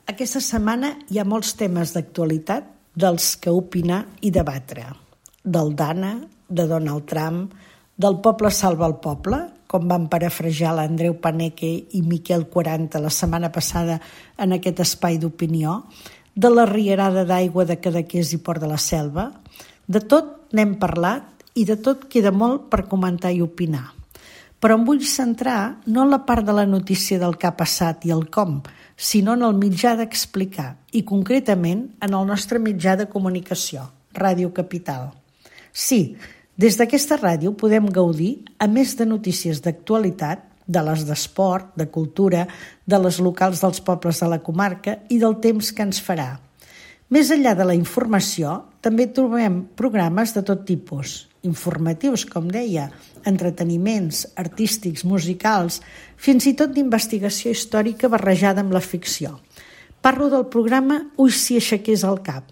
Aquesta setmana hi ha molts temes d'actualitat dels que opinar i debatre. Del Dana, de Donald Trump, del poble salva el poble, com van parafrasejar l'Andreu Paneque i Miquel 40 la setmana passada en aquest espai d'opinió, de la rierada d'aigua de Cadaqués i Port de la Selva. De tot n'hem parlat i de tot queda molt per comentar i opinar. Però em vull centrar no en la part de la notícia del que ha passat i el com, sinó en el mitjà d'explicar, i concretament en el nostre mitjà de comunicació, Ràdio Capital. Sí, des d'aquesta ràdio podem gaudir, a més de notícies d'actualitat, de les d'esport, de cultura, de les locals dels pobles de la comarca i del temps que ens farà. Més enllà de la informació, també trobem programes de tot tipus, informatius, com deia, entreteniments, artístics, musicals, fins i tot d'investigació històrica barrejada amb la ficció. Parlo del programa Ui si aixequés el cap,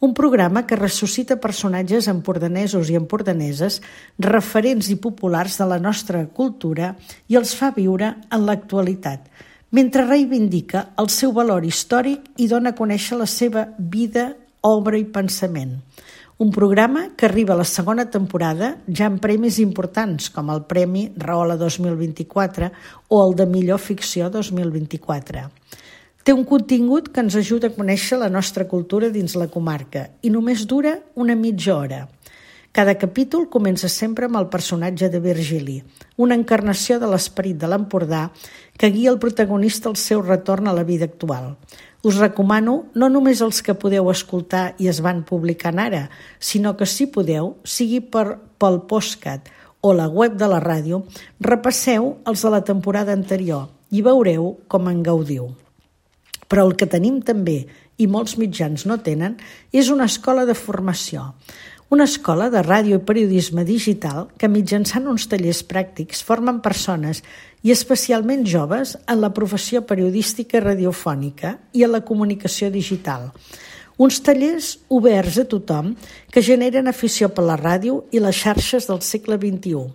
un programa que ressuscita personatges empordanesos i empordaneses referents i populars de la nostra cultura i els fa viure en l'actualitat, mentre reivindica el seu valor històric i dona a conèixer la seva vida, obra i pensament. Un programa que arriba a la segona temporada ja amb premis importants, com el Premi Rahola 2024 o el de Millor Ficció 2024. Té un contingut que ens ajuda a conèixer la nostra cultura dins la comarca i només dura una mitja hora. Cada capítol comença sempre amb el personatge de Virgili, una encarnació de l'esperit de l'Empordà que guia el protagonista al seu retorn a la vida actual. Us recomano no només els que podeu escoltar i es van publicant ara, sinó que si podeu, sigui pel podcast o la web de la ràdio, repasseu els de la temporada anterior i veureu com en gaudiu. Però el que tenim també, i molts mitjans no tenen, és una escola de formació. Una escola de ràdio i periodisme digital que mitjançant uns tallers pràctics formen persones i especialment joves en la professió periodística i radiofònica i en la comunicació digital. Uns tallers oberts a tothom que generen afició per la ràdio i les xarxes del segle XXI.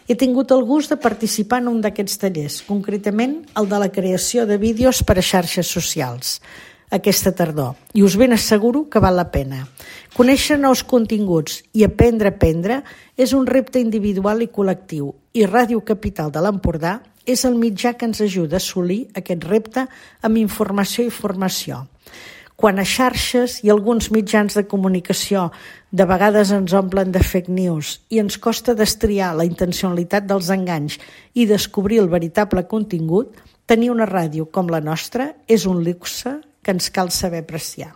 He tingut el gust de participar en un d'aquests tallers, concretament el de la creació de vídeos per a xarxes socials, aquesta tardor, i us ben asseguro que val la pena. Conèixer nous continguts i aprendre a aprendre és un repte individual i col·lectiu, i Ràdio Capital de l'Empordà és el mitjà que ens ajuda a assolir aquest repte amb informació i formació. Quan a xarxes i alguns mitjans de comunicació de vegades ens omplen de fake news i ens costa destriar la intencionalitat dels enganys i descobrir el veritable contingut, tenir una ràdio com la nostra és un luxe que ens cal saber apreciar.